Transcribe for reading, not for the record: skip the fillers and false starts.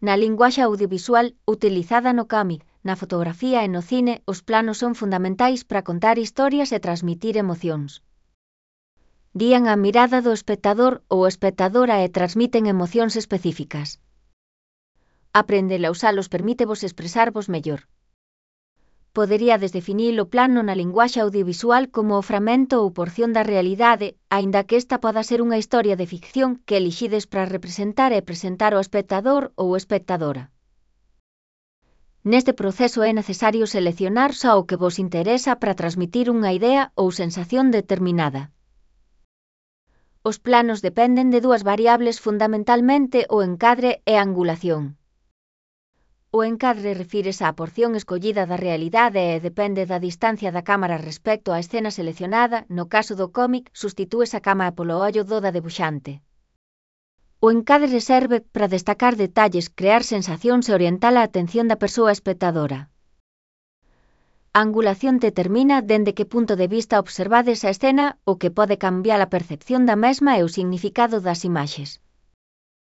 Na linguaxe audiovisual, utilizada no cómic, na fotografía e no cine, os planos son fundamentais para contar historias e transmitir emocións. Guían a mirada do espectador ou espectadora e transmiten emocións específicas. Aprender a usalos permítevos expresarvos mellor. Poderíades definir o plano na linguaxe audiovisual como o fragmento ou porción da realidade, aínda que esta poda ser unha historia de ficción que elixides para representar e presentar ao espectador ou espectadora. Neste proceso é necesario seleccionar só o que vos interesa para transmitir unha idea ou sensación determinada. Os planos dependen de dúas variables fundamentalmente: o encadre e a angulación. O encadre refírese á porción escollida da realidade e depende da distancia da cámara respecto á escena seleccionada. No caso do cómic, substitúese a cámara polo ollo do debuxante. O encadre serve para destacar detalles, crear sensacións e orientar a atención da persoa espectadora. A angulación determina dende que punto de vista observades a escena, o que pode cambiar a percepción da mesma e o significado das imaxes.